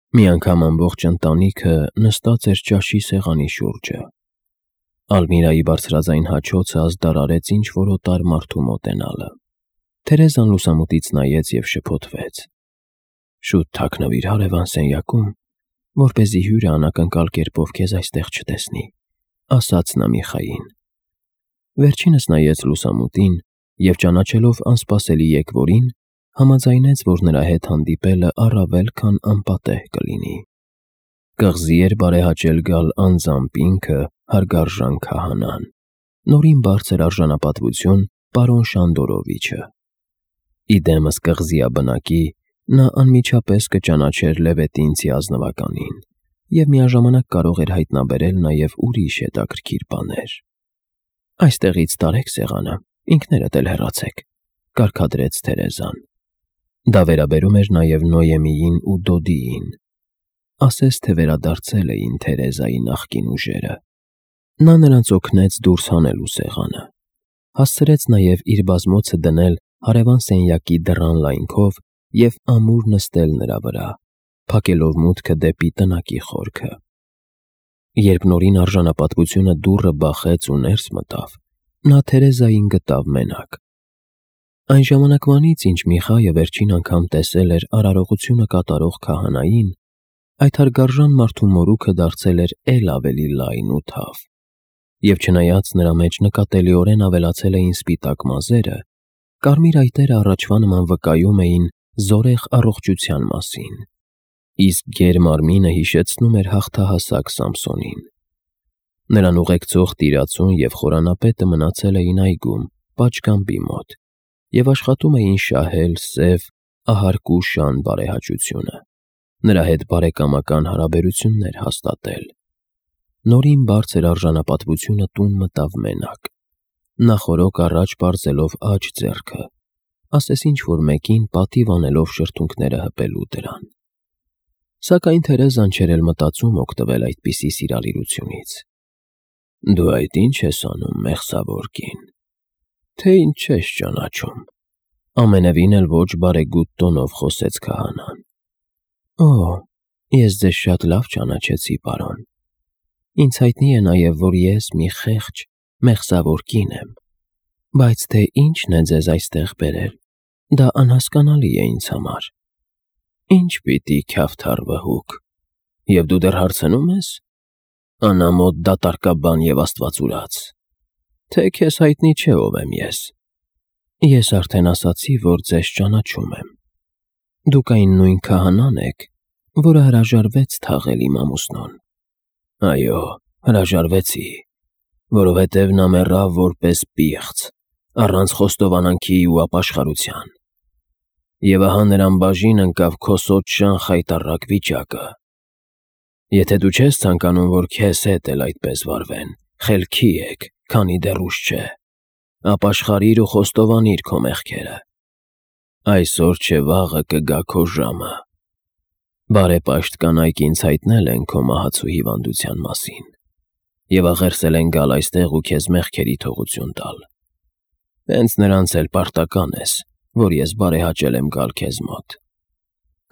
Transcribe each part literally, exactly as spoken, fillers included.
Մի անգամ ամբողջ ընտանիքը նստած էր ճաշի սեղանի շուրջը։ Ալմիրայի բարձրաձայն հաչոցը ազդարարեց ինչ-որ օտար մարդու մոտենալը։ Թերեզան լուսամուտից նայեց և շփոթվեց. «Շուտ թաքնվիր հարևան սենյակում, որպեսզի հյուրը անակնկալ կերպով քեզ այստեղ չտեսնի», ասաց նա Միխային։ Վերջինս նայեց լուսամուտին և, ճանաչելով անսպասելի եկվորին, համաձայնեց, որ նրա հետ հանդիպելը առավել քան անպատեհ կլինի։ Կղզի էր բարեհաճել գալ անձամբ ինքը, հարգարժան քահանան, նորին բարձր արժանապատվություն պարոն Շանդորովիչը։ Ի դեմս կղզիաբնակի նա անմիջապես կճանաչեր Լևետինցի ազնվականին և միաժամանակ կարող էր հայտնաբերել նաև ուրիշ հետաքրքիր բաներ։ «Այստեղից տարեք սեղանը, ինքներդ էլ հեռացեք», կարգադրեց Թերեզան։ Դա վերաբերում էր նաև Նոյեմիին ու Դոդիին։ Ասես թե վերադարձել էին Թերեզայի նախկին ուժերը։ Նա նրանց օգնեց դուրս հանելու սեղանը, հասցրեց նաև իր բազմոցը դնել հարևան սենյակի դռան լայնքով և ամուր նստել նրա վրա, փակելով մուտքը դեպի տնակի խորքը։ Երբ նորին արժանապատվությունը դուռը բախեց ու ներս մտավ, նա Թերեզային գտավ մենակ։ Այն ժամանակվանից, ինչ Միխայը վերջին անգամ տեսել էր արարողությունը կատարող քահանային, այդ հարգարժան մարդու մորուքը դարձել էր էլ ավելի լայն ու թավ, և չնայած նրա մեջ նկատելիորեն ավելացել էին սպիտակ մազերը, կարմիր այտերը առաջվա նման վկայում էին զորեղ առողջության մասին, իսկ գեր մարմինը հիշեցնում էր հաղթահասակ Սամսոնին։ Նրան ուղեկցող տիրացուն և խորանապետը մնացել էին այգում, պատշգամբի մոտ, և աշխատում էին շահել սև, ահարկու շան բարեհաճությունը, նրա հետ բարեկամական հարաբերություններ հաստատել։ Նորին բարձր արժանապատվությունը տուն մտավ մենակ, նախօրոք առաջ պարզելով աջ ձեռքը, ասես ինչ-որ մեկին պատիվ անելով շրթունքները հպելու դրան։ Սակայն Թերեզան չէր էլ մտածում օգտվել այդպիսի սիրալիրությունից։ «Դու այդ ի՞նչ ես անում, մեղսավոր կին, թե ինչ չես ճանաչում», ամենևին էլ ոչ բարեգութ տոնով խոսեց քահանան։ «Օ, ես ձեզ շատ լավ ճանաչեցի, պարոն։ Ինձ հայտնի է նաև, որ ես մի խեղճ, մեղսավոր կին եմ, բայց թե ինչն է ձեզ այստեղ բերել, դա անհասկանալի է ինձ համար»։ «Ի՞նչ պիտի, քյավթար վհուկ, և դու դեռ հարցնո՞ւմ ես, անամոթ դատարկաբան և աստվածուրաց, թե քեզ հայտնի չէ ով եմ ես»։ «Ես արդեն ասացի, որ ձեզ ճանաչում եմ։ Դուք այն նույն քահանան եք, որը հրաժարվեց թաղել իմ ամուսնուն»։ «Այո, հրաժարվեցի, որովհետև նա մեռավ որպես պիղծ, առանց խոստովանանքի ու ապաշխարության, և ահա նրան բաժին ընկավ քո սոճշան խայտառակ վիճակը։ Եթե դու չես ցանկանում, որ քեզ հետ էլ այդպես վարվեն, խելքի եք, քանի դեռ ուշ չէ, ապաշխարիր ու խոստովանիր քո մեղքերը։ Այսօր չէ վաղը կգա քո ժամը։ Բարեպաշտ կանայք ինձ հայտնել են քո մահացու հիվանդության մասին և աղերսել են գալ այստեղ ու քեզ մեղքերի թողություն տալ։ Հենց նրանց էլ պարտական ես, որ ես բարեհաճել եմ գալ քեզ մոտ»։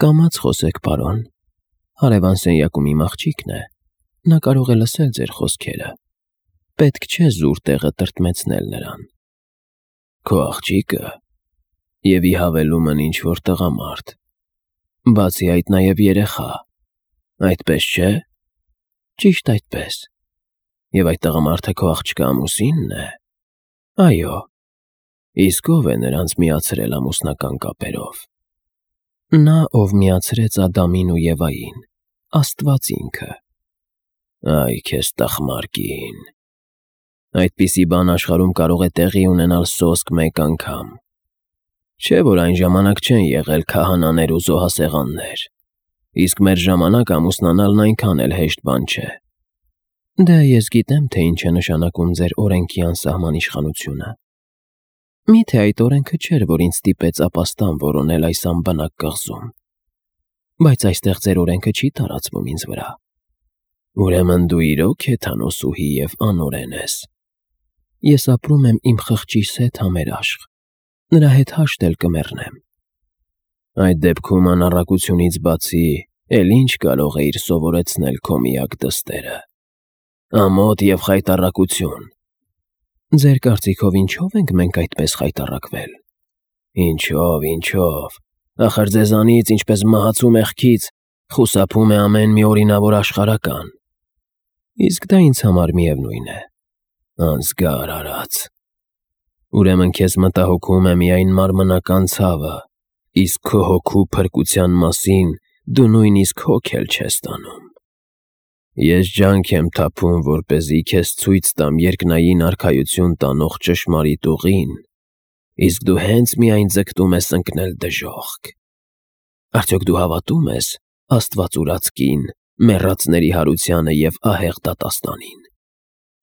«Կամաց խոսեք, պարոն, հարևան սենյակում իմ աղջիկն է, նա կարող է լսել ձեր խոսքերը, պետք չէ զուր տեղը տրտմեցնել նրան»։ «Քո աղջիկը, և ի հավելումն ինչ-որ տղամարդ, բացի այդ նաև երեխա, այդպես չէ՞»։ «Ճիշտ այդպես։ Եվ այդ տղամարդը քո աղջկա ամուսինն է»։ «Այո»։ «Իսկ ո՞վ է նրանց միացրել ամուսնական կապերով»։ «Նա, ով միացրեց Ադամին ու Եվային, Աստված ինքը»։ «Այ քեզ տխմար կին, այդպիսի բան աշխարհում կարող է տեղի ունենալ սոսկ մեկ անգամ։ Չէ՞ որ այն ժամանակ չեն եղել քահանաներ ու զոհասեղաններ, իսկ մեր ժամանակ ամուսնանալն այնքան էլ հեշտ բան չէ»։ «Դե, ես գիտեմ, թե ինչ է նշանակում ձեր օրենքի անսահման իշխանությունը։ Մի՞թե այդ օրենքը չէր, որ ինձ ստիպեց ապաստան որոնել այս անբնակ կղզում։ Բայց այստեղ ձեր օրենքը չի տարածվում ինձ վրա»։ «Ուրեմն դու իրոք հեթանոսուհի և անօրեն ես»։ «Ես ապրում եմ իմ խղճի սեթ համերաշխ, նրա հետ հաշտ էլ կմեռնեմ»։ «Այդ դեպքում անառակությունից բացի էլ ինչ կարող էիր սովորեցնել քո միակ դստերը։ Ամոթ և խայտառակություն։ Ձեր կարծիքով ինչով ենք մենք այդպես խայտառակվել։ Ինչով, ինչով, ախր ձեզանից, ինչպես մահացու մեղքից, խուսափում է ամեն մի օրինավոր աշխարհական։ Իսկ դա ինձ համար միևնույն է։ Անզգար արած։ Ուրեմն քեզ մտահոգում է միայն մարմնական ցավը, իսկ քո հոգու փրկության մասին դու նույնիսկ հոգ էլ չես տանում։ Ես ջանք եմ թափում, որպեսզի քեզ ցույց տամ երկնային արքայություն տանող ճշմարիտ ուղին, իսկ դու հենց միայն ձգտում ես ընկնել դժոխք։ Արդյոք դու հավատում ես Աստված ուրած կին, մեռածների հարությանը և ահեղ դատաստանին։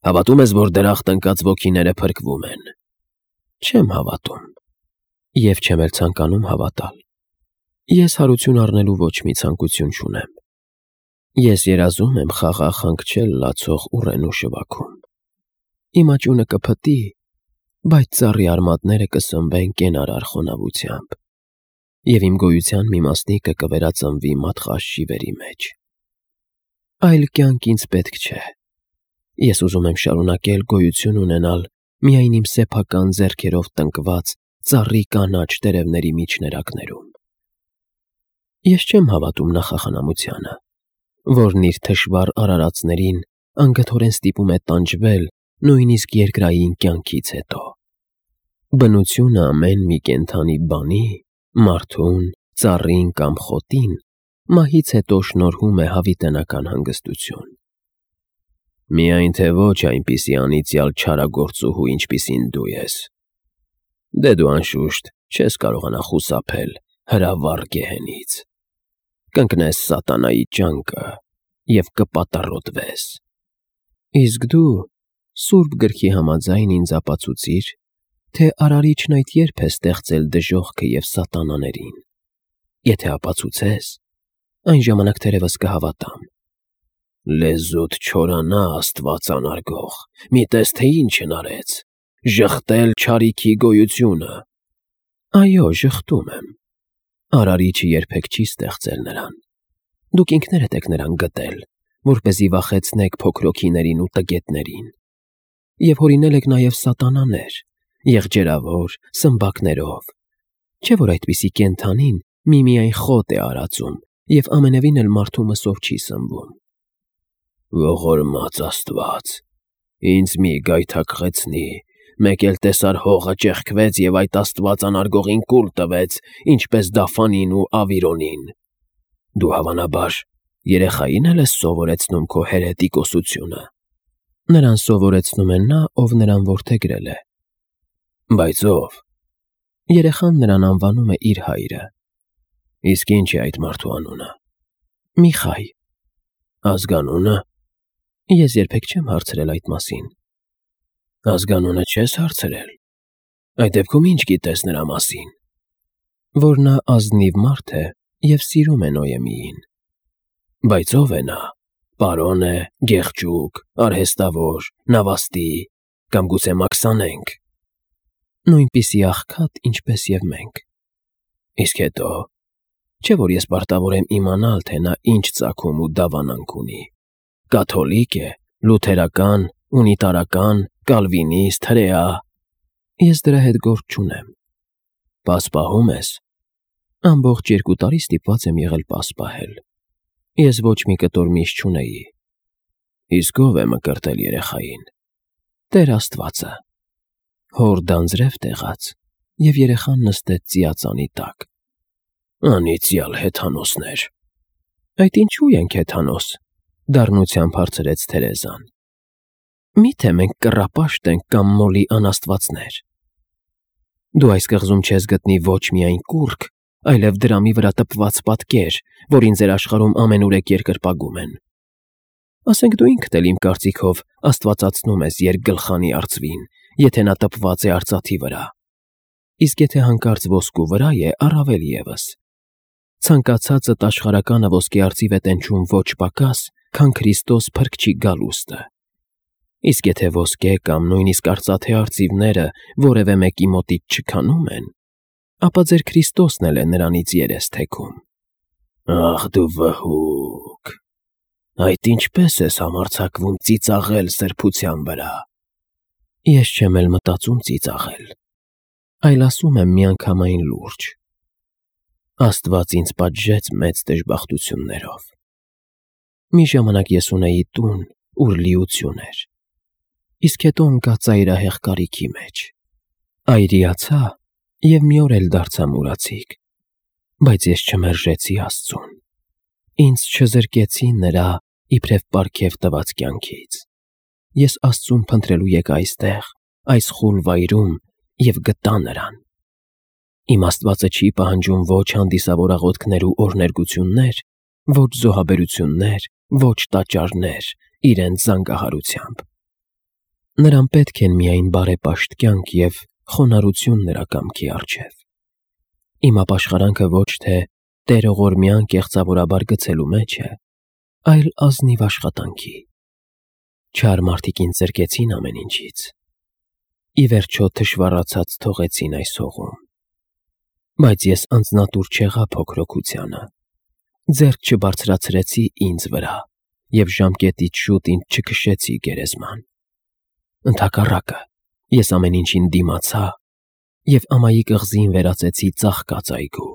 Հավատում ես, որ դրախտ ընկած ոգիները փրկվում են։ Չեմ հավատում և չեմ էլ ցանկանում հավատալ։ Ես հարություն առնելու ոչ մի ցանկություն չունեմ։ Ես երազում եմ խաղաղ հանգչել լացող ուռենու շվաքում։ Իմ աճյունը կփտի, բայց ծառի արմատները կսնվեն կենարար խոնավությամբ, և իմ գոյության մի մասնիկը կվերածնվի մատղաշ շիվերի մեջ։ Այլ կյանք ինձ պետք չէ։ Ես ուզում եմ շարունակել գոյություն ունենալ միայն իմ սեփական ձեռքերով տնկված ծառի կանաչ տերևների միջներակներում։ Ես չեմ հավատում նախախնամությանը, որն իր թշվառ արարածներին անգթորեն ստիպում է տանջվել նույնիսկ երկրային կյանքից հետո։ Բնությունը ամեն մի կենդանի բանի, մարդուն, ծառին կամ խոտին մահից հետո շնորհում է հավիտենական հանգստություն։ Միայն թե ոչ այնպիսի անիծյալ չարագործուհու, ինչպիսին դու ես։ Դե դու անշուշտ չես կարողանա խուսափել հրավառ գեհենից։ Կընկնես սատանայի ճանկը և կպատառոտվես։ Իսկ դու Սուրբ Գրքի համաձայն ինձ ապացուցիր, թե Արարիչն այդ երբ է ստեղծել դժոխքը և սատանաներին։ Եթե ապացուցես, այն ժամանակ թերևս կհավատամ։ Լեզուդ չորանա, Աստված անարգող, մի տես, թե ինչ հնարեց, ժխտել չարիքի գոյությունը։ Այո, ժխտում եմ։ Արարիչը երբեք չի ստեղծել նրան։ Դուք ինքներդ եք նրան գտել, որպեսզի վախեցնեք փոքրոքիներին ու տգետներին։ Եվ հորինել եք նաև սատանաներ, եղջերավոր, սմբակներով։ Չէ՞ որ այդպիսի կենդանին միմիայն խոտ է արածում և ամենևին էլ մարդու մսով չի սնվում։ Ողորմած Աստված, ինձ մի գայթակղեցնի, մեկ էլ տեսար հողը ճեղքվեց և այդ Աստված անարգողին կուլ տվեց, ինչպես Դաֆանին ու Ավիրոնին։ Դու հավանաբար երեխային էլ ես սովորեցնում քո հերետիկոսությունը։ Նրան սովորեցնում է նա, ով նրան որդեգրել է։ Բայց ո՞վ։ Երեխան նրան անվանում է իր հայրը։ Իսկ ի՞նչ է այդ մարդու անունը։ Միխայ։ Ազգանո՞ւնը։ Ես երբեք չեմ հարցրել այդ մասին։ Ազգանունը չես հարցրել։ Այդ դեպքում ի՞նչ գիտես նրա մասին։ Որ նա ազնիվ մարդ է և սիրում է Նոյեմիին։ Բայց ո՞վ է նա։ Պարոն է, գեղջուկ, արհեստավոր, նավաստի, կամ գուցե մաքսանենգ։ Նույնպիսի աղքատ, ինչպես և մենք։ Իսկ հետո։ Չէ՞ որ ես պարտավոր եմ իմանալ, թե նա ինչ ծագում ու դավանանք ունի։ Կաթոլիկ է, լութերական, ունիտարական, կալվինիստ, հրեա։ Ես դրա հետ գործ չունեմ։ Պասպահում ես։ Ամբողջ երկու տարի ստիպված եմ եղել պասպահել։ Ես ոչ մի կտոր միշ չունեի։ Իսկ ո՞վ է մկրտել երեխային։ Տեր Աստվածը։ Հոր դանձրև տեղաց, և երեխան նստեց ծիածանի տակ։ Անիծյալ հեթանոսներ։ Այդ ինչու ենք հեթանոս, դառնությամբ հարցրեց Թերեզան։ Մի՞թե մենք կռապաշտ ենք կամ մոլի անաստվածներ։ Դու այս կղզում չես գտնի ոչ միայն կուռք, այլև դրամի վրա տպված պատկեր, որին ձեր աշխարհում ամենուրեք երկրպագում են։ Ասենք դու ինքդ էլ իմ կարծիքով աստվածացնում ես երկգլխանի արծվին, եթե նա տպված է արծաթի վրա։ Իսկ եթե հանկարծ ոսկու վրա է, առավել ևս։ Ցանկացածդ աշխարհականը ոսկե արծիվ է տենչում ոչ պակաս, քան Քրիստոս Փրկչի գալուստը։ Իսկ եթե ոսկե կամ նույնիսկ արծաթե արծիվները որևէ մեկի մոտից չքանում են, ապա ձեր Քրիստոսն էլ է նրանից երես թեքում։ Ախ դու վհուկ, այդ ինչպես ես համարձակվում ծիծաղել սրբության վրա։ Ես չեմ էլ մտածում ծիծաղել, այլ ասում եմ միանգամայն լուրջ. Աստված ինձ պատժեց մեծ դժբախտություններով։ Մի ժամանակ ես ունեի տուն, ուր լիություն էր, իսկ հետո ընկա ծայրահեղ կարիքի մեջ։ Այրիացա և մի օր էլ դարձա մուրացիկ, բայց ես չմերժեցի Աստծուն։ Ինձ չզրկեցի նրա իբրև պարգև տված կյանքից։ Ես Աստծուն փնտրելու եկա այստեղ, այս խուլ վայրում և գտա նրան։ Իմ Աստվածը չի պահանջում ոչ հանդիսավոր աղոթքներ ու օրհներգություններ, ոչ զոհաբերություններ, ոչ տաճարներ իրենց զանգահարությամբ։ Նրան պետք են միայն բարեպաշտ կյանք և խոնարհություն նրա կամքի առջև։ Իմ ապաշխարանքը ոչ թե տերողորմյան կեղծավորաբար գցելու մեջ է, այլ ազնիվ աշխատանքի։ Չար մարդիկ ինձ զրկեցին ամեն ինչից, ի վերջո թշվառացած թողեցին այս հողում։ Բայց ես անձնատուր չեղա փոքրոքությանը, ձեռք չբարձրացրեցի ինձ վրա և ժամկետից շուտ ինձ չքշեցի գերեզման։ Ընդհակառակը, ես ամեն ինչին դիմացա և ամայի կղզին վերածեցի ծաղկած այգու։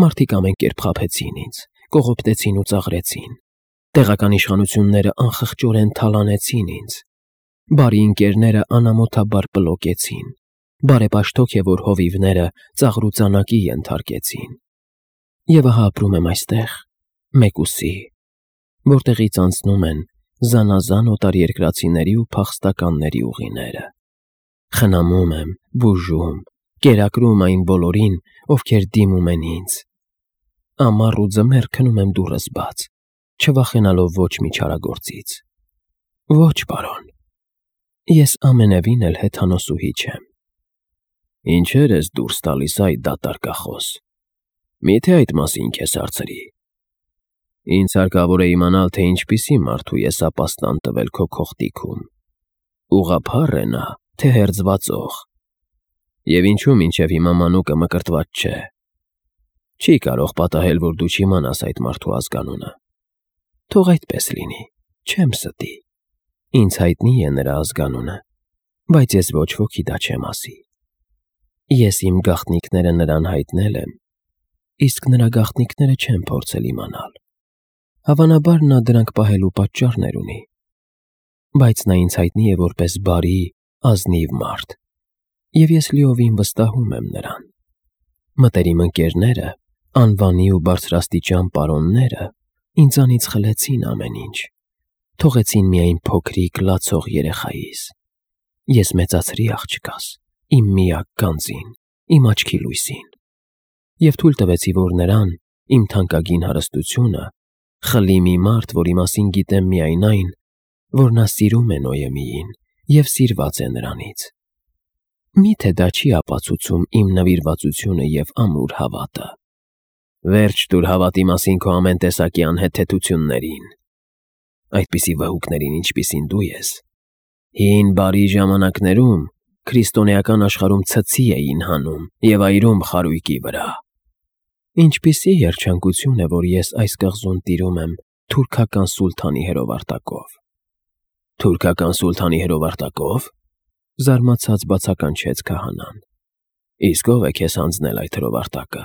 Մարդիկ ամեն կերպ խաբեցին ինձ, կողոպտեցին ու ծաղրեցին։ Տեղական իշխանությունները անխղճորեն թալանեցին ինձ։ Բարի ընկերները անամոթաբար պլոկեցին։ Բարեպաշտ հոգևոր հովիվները ծաղրուծանակի ենթարկեցին։ Եվ ահա ապրում եմ այստեղ, մեկուսի, որտեղից անցնում են զանազան օտարերկրացիների ու փախստականների ուղիները։ Խնամում եմ, բուժում, կերակրում այն բոլորին, ովքեր դիմում են ինձ։ Ամառ ու ձմեռ քնում եմ դուռս բաց, չվախենալով ոչ մի չարագործից։ Ոչ, պարոն, ես ամենևին էլ հեթանոսուհի չեմ։ Ինչեր ես դուրս տալիս այդ դատարկախոս։ Միթե այդ մասին քեզ հարցրի։ Ինձ հարկավոր է իմանալ, թե ինչպիսի մարդու ես ապաստան տվել քո քողտիքում։ Ուղղափառ է նա, թե հերձվածող։ Եվ ինչու մինչև հիմա մանուկը մկրտված չէ։ Չի կարող պատահել, որ դու չիմանաս այդ մարդու ազգանունը։ Թող այդպես լինի, չեմ ստի։ Ինձ հայտնի է նրա ազգանունը, բայց ես ոչ ոքի դա չեմ ասի։ Ես իմ գաղտնիքները նրան հայտնել եմ, իսկ նրա գաղտնիքները չեմ փորձել իմանալ։ Հավանաբար նա դրանք պահելու պատճառներ ունի, բայց նա ինձ հայտնի է որպես բարի, ազնիվ մարդ, և ես լիովին վստահում եմ նրան։ Մտերիմ ընկերները, անվանի ու բարձրաստիճան պարոնները ինձանից խլեցին ամեն ինչ, թողեցին միայն փոքրիկ լացող երեխայիս։ Ես մեծացրի աղջկաս, իմ միակ գանձին, իմ աչքի լույսին, և թույլ տվեցի, որ նրան, իմ թանկագին հարստությունը, խլի մի մարդ, որի մասին գիտեմ միայն այն, որ նա սիրում է Նոյեմիին և սիրված է նրանից։ Միթե դա չի ապացուցում իմ նվիրվածությունը և ամուր հավատը։ Վերջ տուր հավատի մասին քո ամեն տեսակի անհեթեթություններին։ Այդպիսի վհուկներին, ինչպիսին դու ես, հին բարի ժամանակներում քրիստոնեական աշխարհում ցցի էին հանում և այրում խարույկի վրա։ Ինչպիսի երջանկություն է, որ ես այս կղզում տիրում եմ թուրքական սուլթանի հրովարտակով։ Թուրքական սուլթանի հրովարտակով, զարմացած բացականչեց քահանան։ Իսկ ով է քեզ հանձնել այդ հրովարտակը։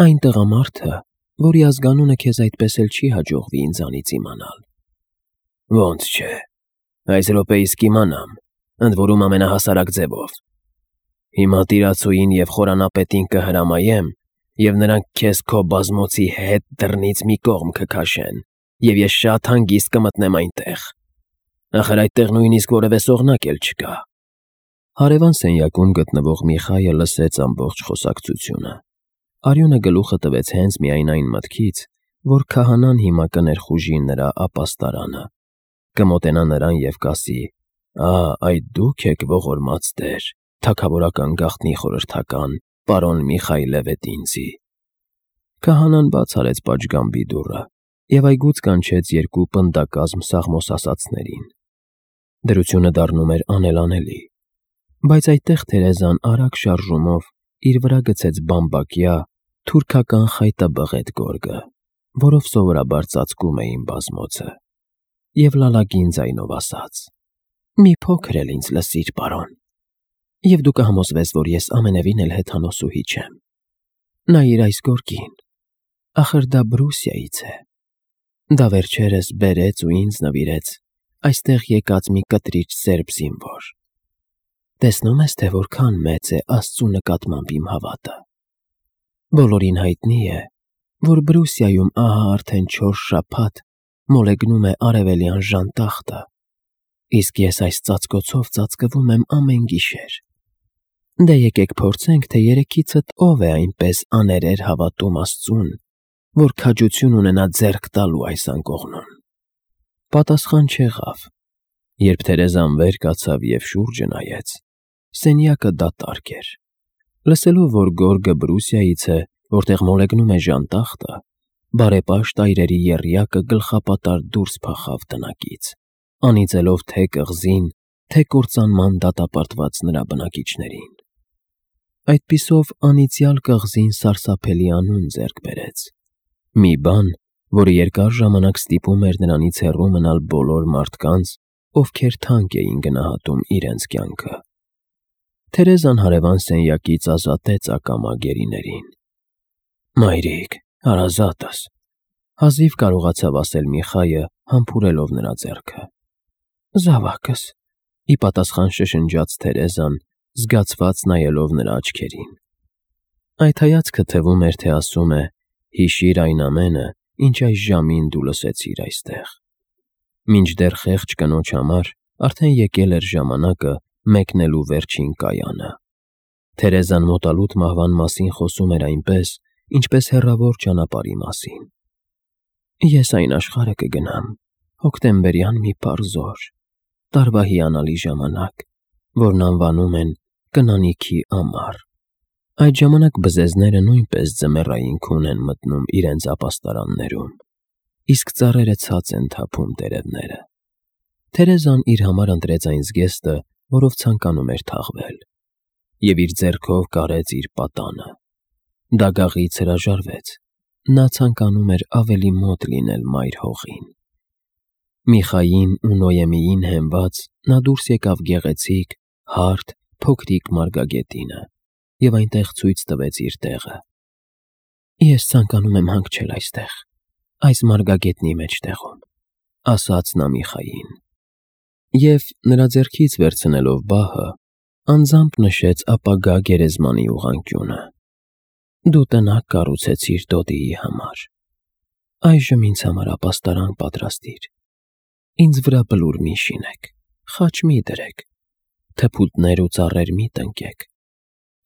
Այն տղամարդը, որի ազգանունը քեզ այդպես էլ չի հաջողվի ինձանից իմանալ։ Ոնց չէ, այս րոպեիս կիմանամ, ընդ որում ամենահասարակ ձևով։ Հիմա տիրացուին և խորանապետին կհրամայեմ, և նրանք քեզ քո բազմոցի հետ դռնից մի կողմ կքաշեն, և ես շատ հանգիստ կմտնեմ այնտեղ։ Ախր այդտեղ նույնիսկ որևէ սողնակ էլ չկա։ Հարևան սենյակում գտնվող Միխայը լսեց ամբողջ խոսակցությունը։ Արյունը գլուխը տվեց հենց միայն այն մտքից, որ քահանան հիմա կներխուժի նրա ապաստարանը, կմոտենա նրան և կասի. «Ա, այդ դուք եք ողորմած տեր, թագավորական գաղտնի խորհրդական, պարոն Միխայ Լևետինցի»։ Քահանան բաց արեց պատշգամբի դուռը և այգուց կանչեց երկու պնդակազմ սաղմոսասացներին։ Դրությունը դառնում էր անելանելի, բայց այդտեղ Թերեզան արագ շարժումով իր վրա գցեց բամբակյա, թուրքական խայտաբղետ գորգը, որով սովորաբար ծածկում էին բազմոցը, և լալագին ձայնով ասաց. «Մի փոքր էլ ինձ լսիր, պարոն, և դու կհամոզվես, որ ես ամենևին էլ հեթանոսուհի չեմ։ Նայիր այս գորգին, ախր դա Բրուսիայից է։ Դա վերջերս բերեց ու ինձ նվիրեց այստեղ եկած մի կտրիչ սերբ զինվոր։ Տեսնում ես, թե որքան մեծ է Աստծու նկատմամբ իմ հավատը։ Բոլորին հայտնի է, որ Բրուսիայում ահա արդեն չորս շաբաթ մոլեգնում է արևելյան ժանտախտը, իսկ ես այս ծածկոցով ծածկվում եմ ամեն գիշեր։ Դե եկեք փորձենք, թե երեքիցդ ով է այնպես աներեր հավատում Աստծուն, որ քաջություն ունենա ձեռք տալու այս անկողնուն»։ Պատասխան չեղավ։ Երբ Թերեզան վեր կացավ և շուրջը նայեց, սենյակը դատարկ էր։ Լսելով, որ գորգը Բրուսիայից է, որտեղ մոլեգնում է ժանտախտը, բարեպաշտ այրերի եռյակը գլխապատար դուրս փախավ տնակից, անիծելով թե կղզին, թե կործանման դատապարտված նրա բնակիչներին։ Այդպիսով անիծյալ կղզին սարսափելի անուն ձեռք բերեց, մի բան, որը երկար ժամանակ ստիպում էր նրանից հեռու մնալ բոլոր մարդկանց, ովքեր թանկ էին գնահատում իրենց կյանքը։ Թերեզան հարևան սենյակից ազատեց ակամա գերիներին։ «Մայրիկ, հարազատս», հազիվ կարողացավ ասել Միխայը, համբուրելով նրա ձեռքը։ «Զավակս», ի պատասխան շշնջաց Թերեզան, զգացված նայելով նրա աչքերին։ Այդ հայացքը թվում էր, թե ասում է. «Հիշիր այն ամենը, ինչ այս ժամին դու լսեցիր այստեղ»։ Մինչդեռ խեղճ կնոջ համար արդեն եկել էր ժամանակը մեկնելու վերջին կայանը։ Թերեզան մոտալուտ մահվան մասին խոսում էր այնպես, ինչպես հեռավոր ճանապարհի մասին։ «Ես այն աշխարհը կգնամ, հոկտեմբերյան մի պարզ օր, տարվա հիանալի ժամանակ, որն անվանում են կնանիքի ամառ։ Այդ ժամանակ բզեզները նույնպես ձմեռային քուն են մտնում իրենց ապաստարաններում, իսկ ծառերը ցած են թափում տերևները»։ Թերեզան իր համար ընտրեց այն զգեստը, որով ցանկանում էր թաղվել, և իր ձեռքով կարեց իր պատանը։ Դագաղից հրաժարվեց, նա ցանկանում էր ավելի մոտ լինել մայր հողին։ Միխային ու Նոյեմիին հենված նա դուրս եկավ գեղեցիկ, հարթ, փոքրիկ մարգագետինը և այնտեղ ցույց տվեց իր տեղը։ «Ես ցանկանում եմ հանգչել այստեղ, այս մարգագետնի մեջտեղում», ասաց նա Միխային։ Եվ, նրա ձեռքից վերցնելով բահը, անձամբ նշեց ապագա գերեզմանի ուղղանկյունը։ «Դու տնակ կառուցեցիր Դոդիի համար, այժմ ինձ համար ապաստարան պատրաստիր։ Ինձ վրա բլուր մի շինեք, խաչ մի դրեք, թփուտներ ու ծառեր մի տնկեք,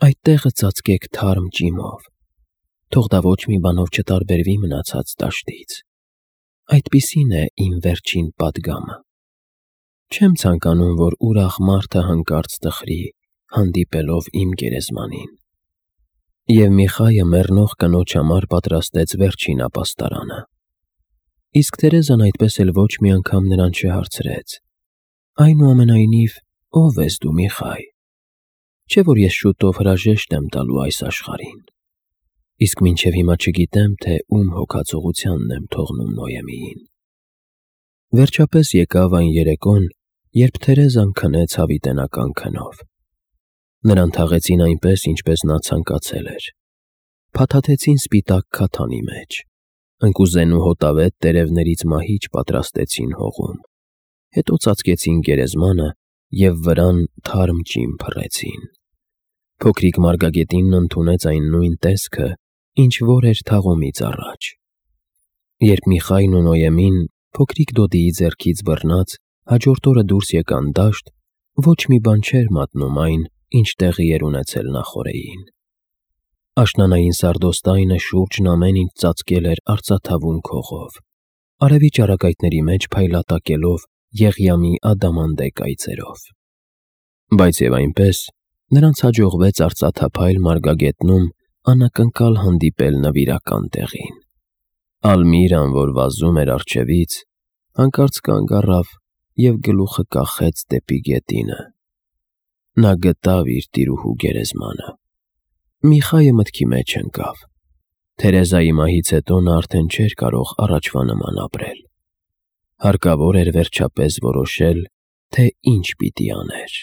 այդ տեղը ծածկեք թարմ ջիմով, թող դա ոչ մի բանով չտարբերվի մնացած դաշտից։ Այդպիսին է իմ վերջին պատգամը։ Չեմ ցանկանում, որ ուրախ մարդը հանկարծ տխրի, հանդիպելով իմ գերեզմանին»։ Եվ Միխայը մեռնող կնոջ համար պատրաստեց վերջին ապաստարանը։ Իսկ Թերեզան այդպես էլ ոչ մի անգամ նրան չհարցրեց. «Այնուամենայնիվ, ո՞վ ես դու, Միխայ։ Չէ՞ որ ես շուտով հրաժեշտ եմ տալու այս աշխարհին, իսկ մինչև հիմա չգիտեմ, թե ում հոգացողությանն եմ թողնում Նոյեմիին»։ Վերջապես եկավ այն երեկոն, երբ Թերեզան քնեց հավիտենական քնով։ Նրան թաղեցին այնպես, ինչպես նա ցանկացել էր։ Փաթաթեցին սպիտակ քաթանի մեջ, ընկուզենու հոտավետ տերևներից մահիճ պատրաստեցին հողում, հետո ծածկեցին գերեզմանը և վրան թարմ ջիմ փռեցին։ Փոքրիկ մարգագետինն ընդունեց այն նույն տեսքը, ինչ որ էր թաղումից առաջ։ Երբ Միխայն ու Նոյեմին, փոքրիկ Դոդիի ձեռքից բռնած, հաջորդ օրը դուրս եկան դաշտ, ոչ մի բան չէր մատնում այն, ինչ տեղի էր ունեցել նախօրեին։ Աշնանային սարդոստայնը շուրջն ամեն ինչ ծածկել էր արծաթավուն քողով, արևի ճառագայթների մեջ փայլատակելով եղյամի ադամանդե կայծերով։ Բայց և այնպես, նրանց հաջողվեց արծաթափայլ մարգագետնում անակնկալ հանդիպել նվիրական տեղին։ Ալմիրան, որ վազում էր առջևից, հանկարծ կանգ առավ և գլուխը կախեց դեպի գետինը։ Նա գտավ իր տիրուհու գերեզմանը։ Միխայը մտքի մեջ ընկավ։ Թերեզայի մահից հետո նա արդեն չէր կարող առաջվա նման ապրել։ Հարկավոր էր վերջապես որոշել, թե ինչ պիտի աներ։